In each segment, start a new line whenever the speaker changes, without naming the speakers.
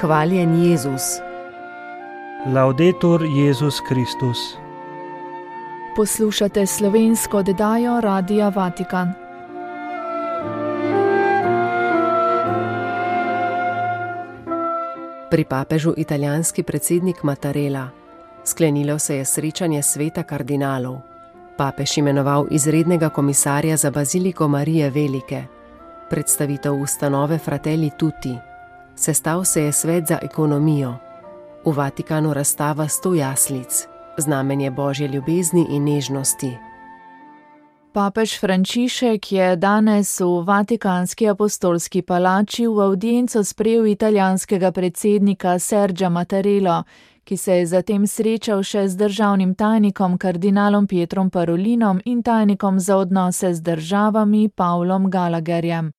Hvaljen Jezus.
Laudetur Jezus Kristus.
Poslušate slovensko oddajo Radia Vatikan.
Pri papežu italijanski predsednik Mattarella. Sklenilo se je srečanje sveta kardinalov. Papež imenoval izrednega komisarja za baziliko Marije Velike. Predstavitev ustanove Fratelli Tutti. Sestal se je svet za ekonomijo. V Vatikanu razstava 100 jaslic, znamenje Božje ljubezni in nežnosti.
Papež Frančišek je danes v Vatikanski apostolski palači v avdienco sprejel italijanskega predsednika Sergia Mattarello, ki se je zatem srečal še z državnim tajnikom kardinalom Pietrom Parolinom in tajnikom za odnose z državami Pavlom Gallagherjem.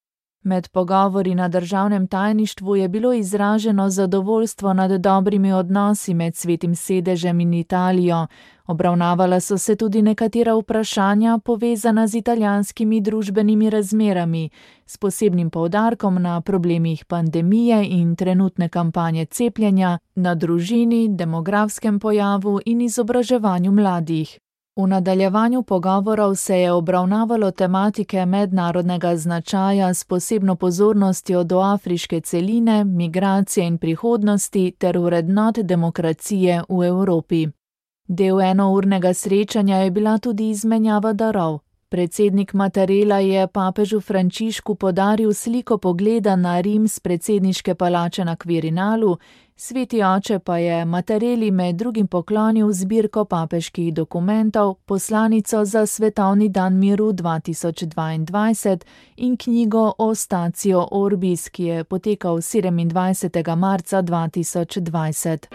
Med pogovori na državnem tajništvu je bilo izraženo zadovoljstvo nad dobrimi odnosi med Svetim sedežem in Italijo. Obravnavala so se tudi nekatera vprašanja povezana z italijanskimi družbenimi razmerami, s posebnim poudarkom na problemih pandemije in trenutne kampanje cepljenja, na družini, demografskem pojavu in izobraževanju mladih. V nadaljevanju pogovorov se je obravnavalo tematike mednarodnega značaja s posebno pozornostjo do afriške celine, migracije in prihodnosti ter vrednot demokracije v Evropi. Del enournega srečanja je bila tudi izmenjava darov. Predsednik Mattarella je papežu Frančišku podaril sliko pogleda na Rim s predsedniške palače na Quirinalu, Sveti oče pa je Mattarelli med drugim poklonil zbirko papeških dokumentov, poslanico za Svetovni dan miru 2022 in knjigo Ostatio Orbis, ki je potekal 27. marca 2020.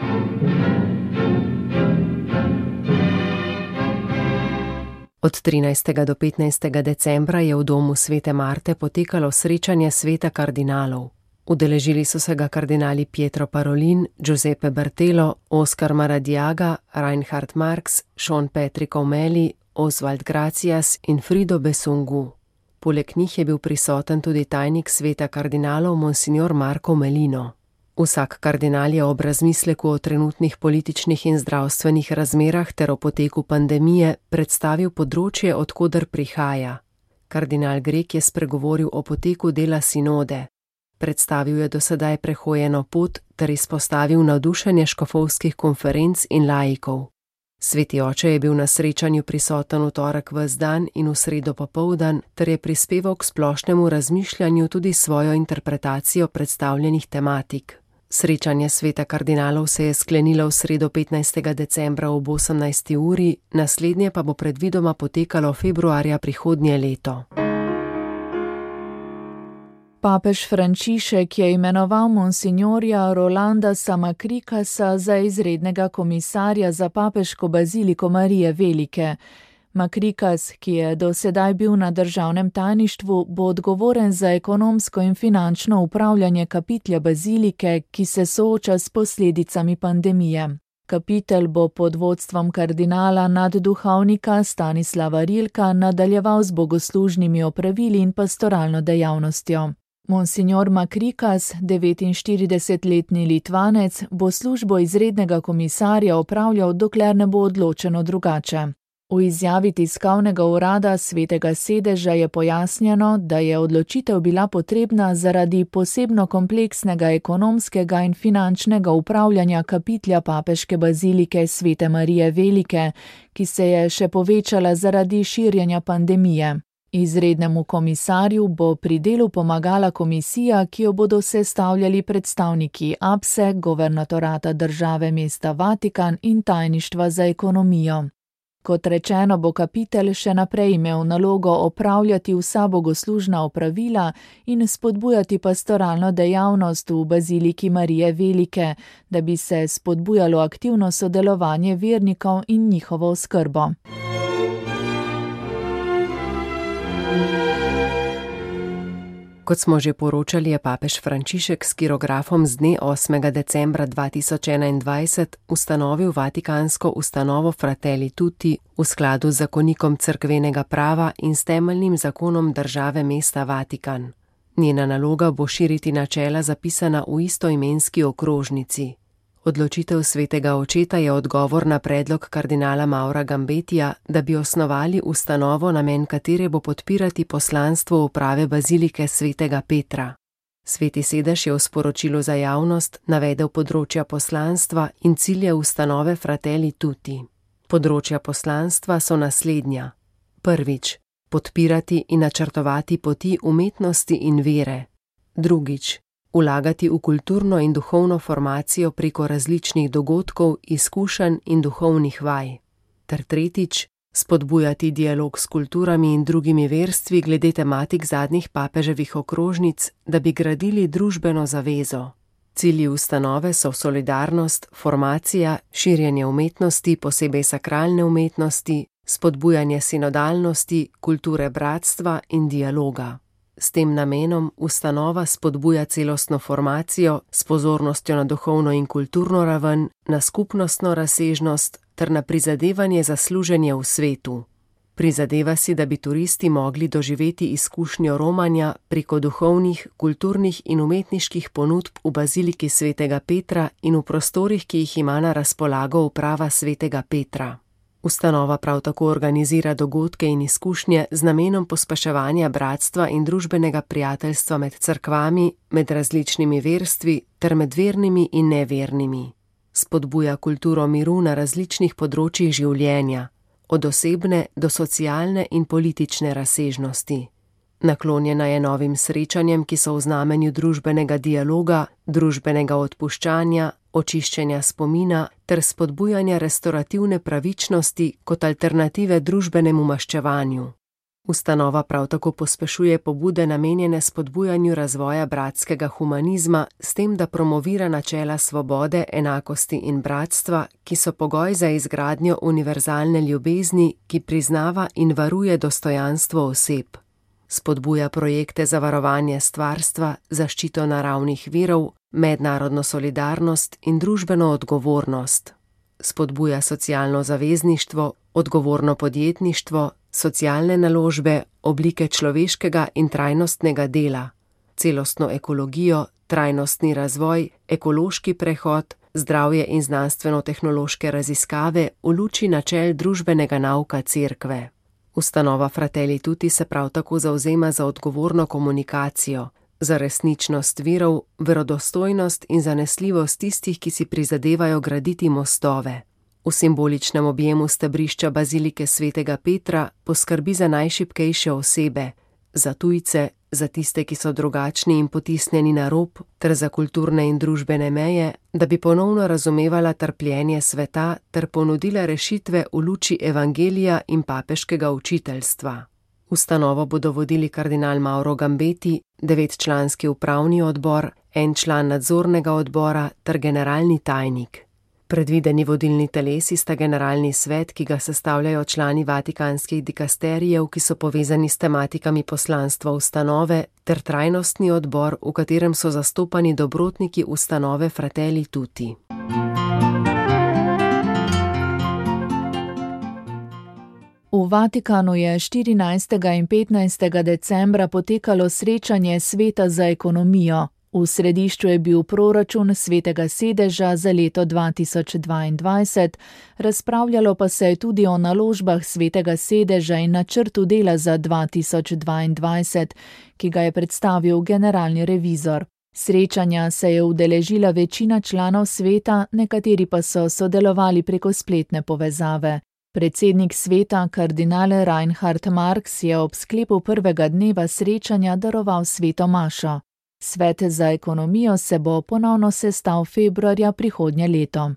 Od 13. do 15. decembra je v domu Svete Marte potekalo srečanje sveta kardinalov. Udeležili so se ga kardinali Pietro Parolin, Giuseppe Bertelo, Oscar Maradiaga, Reinhard Marx, Sean Patrick O'Malley, Oswald Gracias in Frido Besungu. Poleg njih je bil prisoten tudi tajnik sveta kardinalov Monsignor Marco Melino. Vsak kardinal je ob razmisleku o trenutnih političnih in zdravstvenih razmerah ter o poteku pandemije predstavil področje, od koder prihaja. Kardinal Grek je spregovoril o poteku dela sinode. Predstavil je do sedaj prehojeno pot ter izpostavil navdušenje škofovskih konferenc in laikov. Sveti oče je bil na srečanju prisoten v torek ves dan in v sredo popoldan ter je prispeval k splošnemu razmišljanju tudi svojo interpretacijo predstavljenih tematik. Srečanje sveta kardinalov se je sklenilo v sredo 15. decembra ob 18. uri, naslednje pa bo predvidoma potekalo februarja prihodnje leto.
Papež Frančišek je imenoval monsignorja Rolanda Samakrikasa za izrednega komisarja za papeško baziliko Marije Velike. Makrikas, ki je do sedaj bil na državnem tajništvu, bo odgovoren za ekonomsko in finančno upravljanje kapitelja bazilike, ki se sooča s posledicami pandemije. Kapitel bo pod vodstvom kardinala nadduhovnika Stanislava Rilka nadaljeval z bogoslužnimi opravili in pastoralno dejavnostjo. Monsignor Makrikas, 49-letni Litvanec, bo službo izrednega komisarja opravljal, dokler ne bo odločeno drugače. V izjavi tiskovnega urada Svetega sedeža je pojasnjeno, da je odločitev bila potrebna zaradi posebno kompleksnega ekonomskega in finančnega upravljanja kapitelja papeške bazilike Svete Marije Velike, ki se je še povečala zaradi širjenja pandemije. Izrednemu komisarju bo pri delu pomagala komisija, ki jo bodo sestavljali predstavniki APSE, Governatorata države mesta Vatikan in tajništva za ekonomijo. Kot rečeno, bo kapitelj še naprej imel nalogo opravljati vsa bogoslužna opravila in spodbujati pastoralno dejavnost v baziliki Marije Velike, da bi se spodbujalo aktivno sodelovanje vernikov in njihovo oskrbo.
Kot smo že poročali, je papež Frančišek s kirografom z dne 8. decembra 2021 ustanovil vatikansko ustanovo Fratelli Tutti v skladu z zakonikom cerkvenega prava in s temeljnim zakonom države mesta Vatikan. Njena naloga bo širiti načela zapisana v istoimenski okrožnici. Odločitev svetega očeta je odgovor na predlog kardinala Maura Gambetija, da bi osnovali ustanovo, namen katere bo podpirati poslanstvo uprave bazilike svetega Petra. Sveti sedež je v sporočilu za javnost navedel področja poslanstva in cilje ustanove Fratelli Tutti. Področja poslanstva so naslednja. Prvič, podpirati in načrtovati poti umetnosti in vere. Drugič, vlagati v kulturno in duhovno formacijo preko različnih dogodkov, izkušenj in duhovnih vaj. Ter tretjič, spodbujati dialog s kulturami in drugimi verstvi glede tematik zadnjih papeževih okrožnic, da bi gradili družbeno zavezo. Cilji ustanove so solidarnost, formacija, širjenje umetnosti, posebej sakralne umetnosti, spodbujanje sinodalnosti, kulture bratstva in dialoga. S tem namenom ustanova spodbuja celostno formacijo s pozornostjo na duhovno in kulturno raven, na skupnostno razsežnost ter na prizadevanje za služenje v svetu. Prizadeva si, da bi turisti mogli doživeti izkušnjo romanja preko duhovnih, kulturnih in umetniških ponudb v baziliki svetega Petra in v prostorih, ki jih ima na razpolago uprava svetega Petra. Ustanova prav tako organizira dogodke in izkušnje z namenom pospeševanja bratstva in družbenega prijateljstva med cerkvami, med različnimi verstvi ter med vernimi in nevernimi. Spodbuja kulturo miru na različnih področjih življenja, od osebne do socialne in politične razsežnosti. Naklonjena je novim srečanjem, ki so v znamenju družbenega dialoga, družbenega odpuščanja, očiščenja spomina ter spodbujanja restaurativne pravičnosti kot alternative družbenemu maščevanju. Ustanova prav tako pospešuje pobude namenjene spodbujanju razvoja bratskega humanizma s tem, da promovira načela svobode, enakosti in bratstva, ki so pogoj za izgradnjo univerzalne ljubezni, ki priznava in varuje dostojanstvo oseb. Spodbuja projekte za varovanje stvarstva, zaščito naravnih virov, mednarodno solidarnost in družbeno odgovornost. Spodbuja socialno zavezništvo, odgovorno podjetništvo, socialne naložbe, oblike človeškega in trajnostnega dela, celostno ekologijo, trajnostni razvoj, ekološki prehod, zdravje in znanstveno-tehnološke raziskave v luči načel družbenega nauka Cerkve. Ustanova Fratelli Tutti se prav tako zavzema za odgovorno komunikacijo, za resničnost virov, verodostojnost in zanesljivost tistih, ki si prizadevajo graditi mostove. V simboličnem objemu stebrišča bazilike svetega Petra poskrbi za najšibkejše osebe, za tujce, za tiste, ki so drugačni in potisnjeni na rob, ter za kulturne in družbene meje, da bi ponovno razumevala trpljenje sveta ter ponudila rešitve v luči evangelija in papeškega učiteljstva. Ustanovo bodo vodili kardinal Mauro Gambeti, 9-članski upravni odbor, 1 član nadzornega odbora ter generalni tajnik. Predvideni vodilni telesi sta generalni svet, ki ga sestavljajo člani vatikanskih dikasterijev, ki so povezani s tematikami poslanstva ustanove, ter trajnostni odbor, v katerem so zastopani dobrotniki ustanove Fratelli Tutti.
V Vatikanu je 14. in 15. decembra potekalo srečanje Sveta za ekonomijo. V središču je bil proračun Svetega sedeža za leto 2022, razpravljalo pa se je tudi o naložbah Svetega sedeža in načrtu dela za 2022, ki ga je predstavil generalni revizor. Srečanja se je udeležila večina članov sveta, nekateri pa so sodelovali preko spletne povezave. Predsednik sveta, kardinal Reinhard Marx, je ob sklepu prvega dneva srečanja daroval sveto mašo. Svet za ekonomijo se bo ponovno sestal februarja prihodnje leto.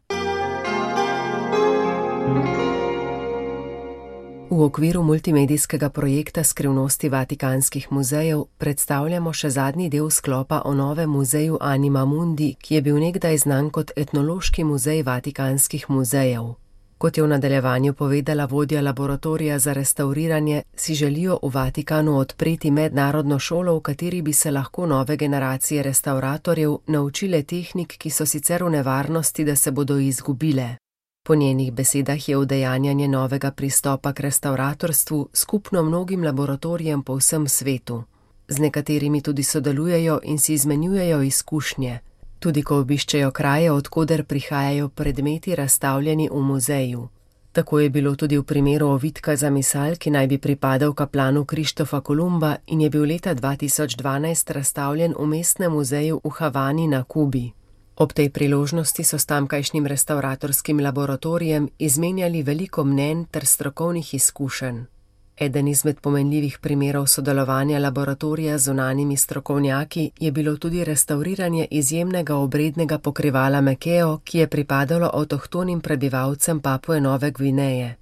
V okviru multimedijskega projekta Skrivnosti vatikanskih muzejev predstavljamo še zadnji del sklopa o novem muzeju Anima Mundi, ki je bil nekdaj znan kot etnološki muzej vatikanskih muzejev. Kot je v nadaljevanju povedala vodja laboratorija za restavriranje, si želijo v Vatikanu odpreti mednarodno šolo, v kateri bi se lahko nove generacije restavratorjev naučile tehnik, ki so sicer v nevarnosti, da se bodo izgubile. Po njenih besedah je udejanjanje novega pristopa k restavratorstvu skupno mnogim laboratorijem po vsem svetu. z nekaterimi tudi sodelujejo in si izmenjujejo izkušnje, tudi ko obiščejo kraje, odkoder prihajajo predmeti razstavljeni v muzeju. Tako je bilo tudi v primeru ovitka za misal, ki naj bi pripadal kaplanu Krištofa Kolumba in je bil leta 2012 razstavljen v mestnem muzeju v Havani na Kubi. Ob tej priložnosti so s tamkajšnjim restavratorskim laboratorijem izmenjali veliko mnenj ter strokovnih izkušenj. Eden izmed pomenljivih primerov sodelovanja laboratorija z zunanjimi strokovnjaki je bilo tudi restavriranje izjemnega obrednega pokrivala Mekeo, ki je pripadalo avtohtonim prebivalcem Papue Nove Gvineje.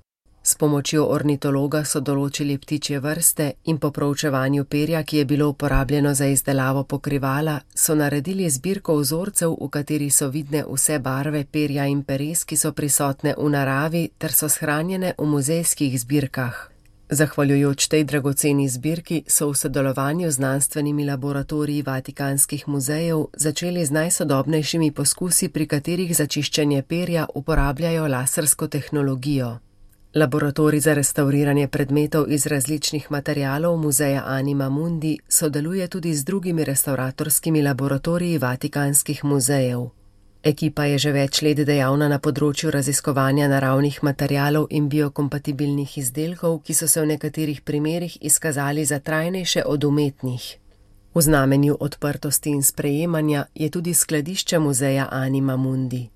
S pomočjo ornitologa so določili ptičje vrste in po proučevanju perja, ki je bilo uporabljeno za izdelavo pokrivala, so naredili zbirko vzorcev, v kateri so vidne vse barve perja in peres, ki so prisotne v naravi ter so shranjene v muzejskih zbirkah. Zahvaljujoč tej dragoceni zbirki so v sodelovanju z znanstvenimi laboratoriji vatikanskih muzejev začeli z najsodobnejšimi poskusi, pri katerih za čiščenje perja uporabljajo lasersko tehnologijo. Laboratorij za restavriranje predmetov iz različnih materialov muzeja Anima Mundi sodeluje tudi z drugimi restavratorskimi laboratoriji vatikanskih muzejev. Ekipa je že več let dejavna na področju raziskovanja naravnih materialov in biokompatibilnih izdelkov, ki so se v nekaterih primerih izkazali za trajnejše od umetnih. V znamenju odprtosti in sprejemanja je tudi skladišče muzeja Anima Mundi.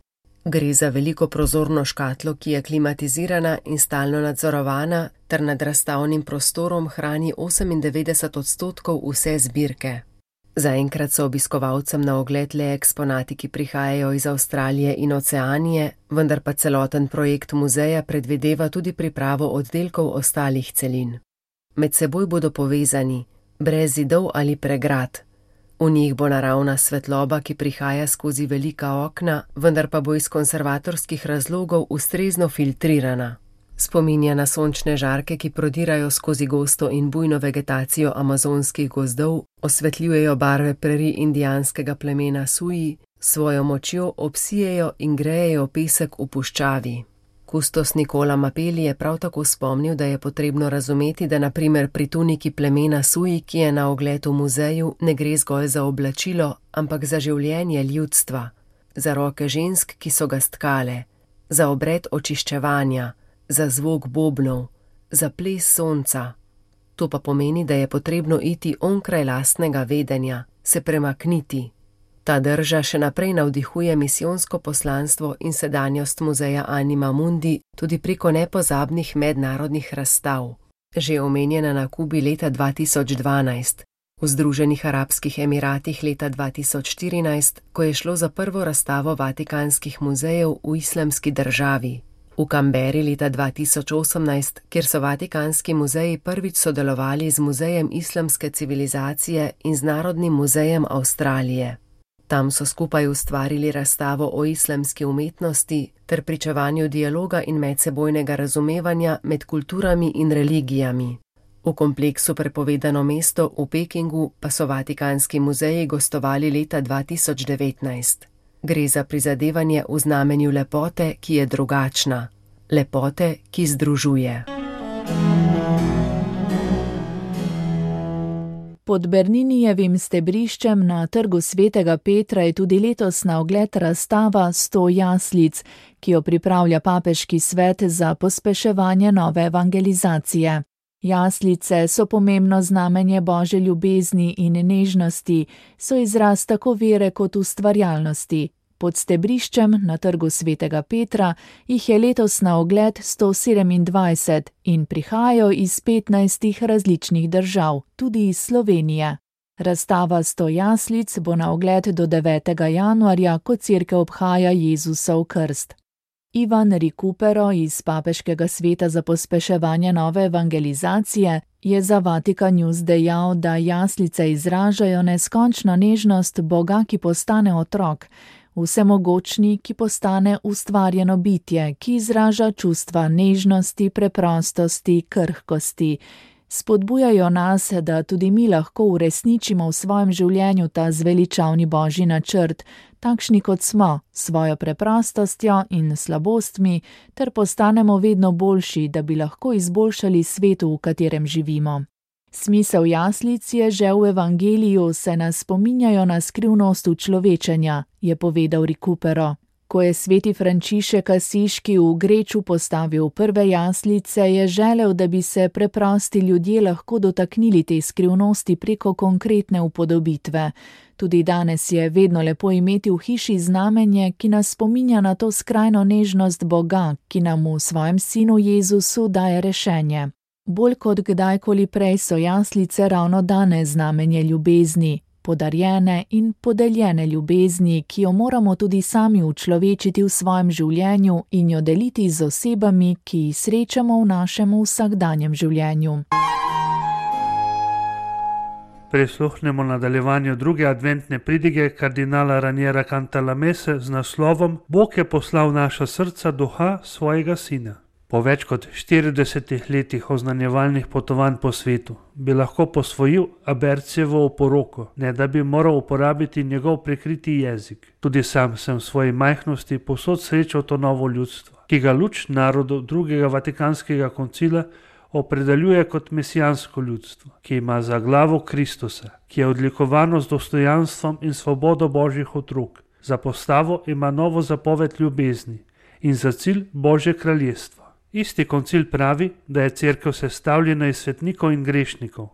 Gre za veliko prozorno škatlo, ki je klimatizirana in stalno nadzorovana ter nad razstavnim prostorom hrani 98% vse zbirke. Zaenkrat so obiskovalcem na ogled le eksponati, ki prihajajo iz Avstralije in Oceanije, vendar pa celoten projekt muzeja predvideva tudi pripravo oddelkov ostalih celin. Med seboj bodo povezani, brez zidov ali pregrad. V njih bo naravna svetloba, ki prihaja skozi velika okna, vendar pa bo iz konservatorskih razlogov ustrezno filtrirana. Spominja na sončne žarke, ki prodirajo skozi gosto in bujno vegetacijo amazonskih gozdov, osvetljujejo barve preri indijanskega plemena Suji, svojo močjo obsijejo in grejejo pesek v puščavi. Kustos Nikola Mapeli je prav tako spomnil, da je potrebno razumeti, da na primer pri tuniki plemena Suji, ki je na ogled v muzeju, ne gre zgolj za oblačilo, ampak za življenje ljudstva, za roke žensk, ki so ga stkale, za obred očiščevanja, za zvok bobnov, za ples sonca. To pa pomeni, da je potrebno iti onkraj lastnega vedenja, se premakniti. Ta drža še naprej navdihuje misijonsko poslanstvo in sedanjost muzeja Anima Mundi tudi preko nepozabnih mednarodnih razstav. Že omenjena na Kubi leta 2012, v Združenih arabskih emiratih leta 2014, ko je šlo za prvo razstavo vatikanskih muzejev v islamski državi. V Kamberi leta 2018, kjer so vatikanski muzeji prvič sodelovali z Muzejem islamske civilizacije in z Narodnim muzejem Avstralije. Tam so skupaj ustvarili razstavo o islamski umetnosti ter pričevanju dialoga in medsebojnega razumevanja med kulturami in religijami. V kompleksu Prepovedano mesto v Pekingu pa so vatikanski muzeji gostovali leta 2019. Gre za prizadevanje v znamenju lepote, ki je drugačna. Lepote, ki združuje.
Pod Berninijevim stebriščem na Trgu svetega Petra je tudi letos na ogled razstava 100 jaslic, ki jo pripravlja Papeški svet za pospeševanje nove evangelizacije. Jaslice so pomembno znamenje Božje ljubezni in nežnosti, so izraz tako vere kot ustvarjalnosti. Pod stebriščem na Trgu svetega Petra jih je letos na ogled 127 in prihajajo iz 15 različnih držav, tudi iz Slovenije. Razstava 100 jaslic bo na ogled do 9. januarja, ko cerkev obhaja Jezusov krst. Ivan Recupero iz Papeškega sveta za pospeševanje nove evangelizacije je za Vatikan News dejal, da jaslice izražajo neskončno nežnost Boga, ki postane otrok, vsemogočni, ki postane ustvarjeno bitje, ki izraža čustva nežnosti, preprostosti, krhkosti. Spodbujajo nas, da tudi mi lahko uresničimo v svojem življenju ta zveličavni Božji načrt, takšni kot smo, svojo preprostostjo in slabostmi, ter postanemo vedno boljši, da bi lahko izboljšali svetu, v katerem živimo. Smisel jaslic je že v evangeliju, se nas spominjajo na skrivnost učlovečenja, je povedal Recupero. Ko je sveti Frančišek Asiški v Greču postavil prve jaslice, je želel, da bi se preprosti ljudje lahko dotaknili te skrivnosti preko konkretne upodobitve. Tudi danes je vedno lepo imeti v hiši znamenje, ki nas spominja na to skrajno nežnost Boga, ki nam v svojem sinu Jezusu daje rešenje. Bolj kot kdajkoli prej so jaslice ravno danes znamenje ljubezni, podarjene in podeljene ljubezni, ki jo moramo tudi sami učlovečiti v svojem življenju in jo deliti z osebami, ki jih srečamo v našem vsakdanjem življenju.
Prisluhnemo nadaljevanju druge adventne pridige kardinala Raniera Cantalamesse z naslovom Bog je poslal v naša srca duha svojega sina. Po več kot 40 letih oznanjevalnih potovanj po svetu bi lahko posvojil Abercijevo oporoko, ne da bi moral uporabiti njegov prikriti jezik. Tudi sam sem v svoji majhnosti povsod srečal to novo ljudstvo, ki ga luč narodov drugega Vatikanskega koncila opredeljuje kot mesijansko ljudstvo, ki ima za glavo Kristusa, ki je odlikovano z dostojanstvom in svobodo Božjih otrok. Za postavo ima novo zapoved ljubezni in za cilj Božje kraljestvo. Isti koncil pravi, da je cerkev sestavljena iz svetnikov in grešnikov.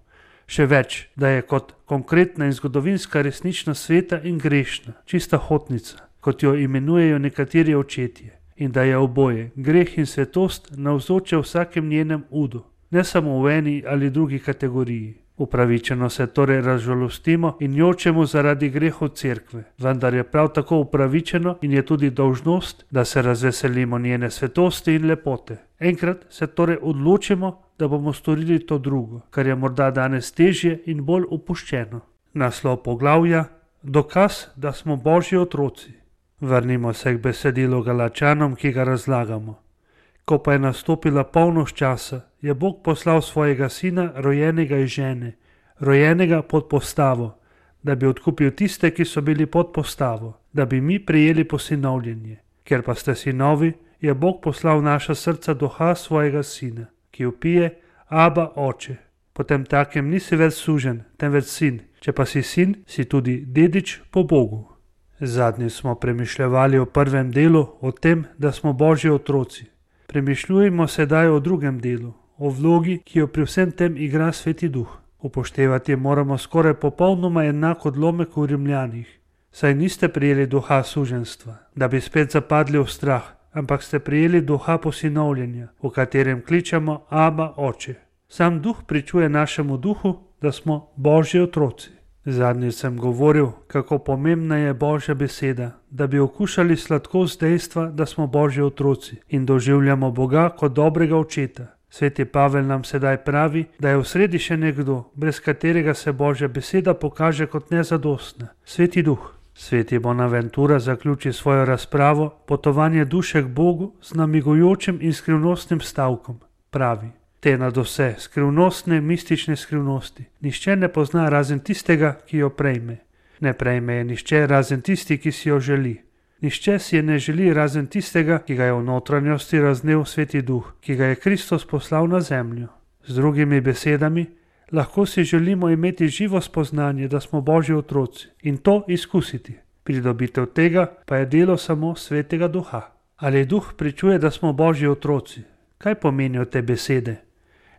Še več, da je kot konkretna in zgodovinska resničnost sveta in grešna, čista hotnica, kot jo imenujejo nekateri očetje, in da je oboje, greh in svetost, navzoče v vsakem njenem udu, ne samo v eni ali drugi kategoriji. Upravičeno se torej razžalostimo in jočemo zaradi grehov cerkve, vendar je prav tako upravičeno in je tudi dolžnost, da se razveselimo njene svetosti in lepote. Enkrat se torej odločimo, da bomo storili to drugo, kar je morda danes težje in bolj opuščeno. Naslov poglavja: Dokaz, da smo Božji otroci. Vrnimo se k besedilu Galačanom, ki ga razlagamo. Ko pa je nastopila polnoč časa, je Bog poslal svojega sina, rojenega iz žene, rojenega pod postavo, da bi odkupil tiste, ki so bili pod postavo, da bi mi prejeli posinovljenje. Ker pa ste sinovi, je Bog poslal v naša srca duha svojega sina, ki vpije: Aba, oče. Potem takem nisi več suženj, temveč sin. Če pa si sin, si tudi dedič po Bogu. Zadnji smo premišljevali o prvem delu, o tem, da smo Božji otroci. Premišljujemo sedaj o drugem delu, o vlogi, ki jo pri vsem tem igra Sveti Duh. Upoštevati moramo skoraj popolnoma enak odlomek v Rimljanih. Saj niste prijeli duha suženjstva, da bi spet zapadli v strah, ampak ste prijeli duha posinovljenja, v katerem kličemo Aba, oče. Sam duh pričuje našemu duhu, da smo Božji otroci. Zadnjič sem govoril, kako pomembna je Božja beseda, da bi okušali sladkost dejstva, da smo Božji otroci in doživljamo Boga kot dobrega očeta. Sveti Pavel nam sedaj pravi, da je v sredi še nekdo, brez katerega se Božja beseda pokaže kot nezadostna, Sveti Duh. Sveti Bonaventura zaključi svojo razpravo Potovanje duše k Bogu z namigujočim in skrivnostnim stavkom. Pravi: Te nadvse skrivnostne, mistične skrivnosti nihče ne pozna razen tistega, ki jo prejme. Ne prejme je nihče razen tisti, ki si jo želi. Nihče si je ne želi razen tistega, ki ga je v notranjosti raznel Sveti Duh, ki ga je Kristus poslal na zemljo. Z drugimi besedami, lahko si želimo imeti živo spoznanje, da smo Božji otroci in to izkusiti. Pridobitev tega pa je delo samo Svetega Duha. Ali Duh pričuje, da smo Božji otroci? Kaj pomenijo te besede?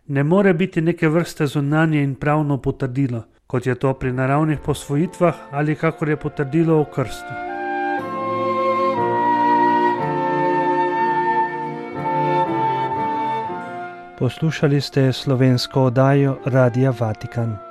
Ne more biti neke vrste zunanje in pravno potrdilo, kot je to pri naravnih posvojitvah ali kakor je potrdilo o krstu.
Poslušali ste slovensko oddajo Radia Vatikan.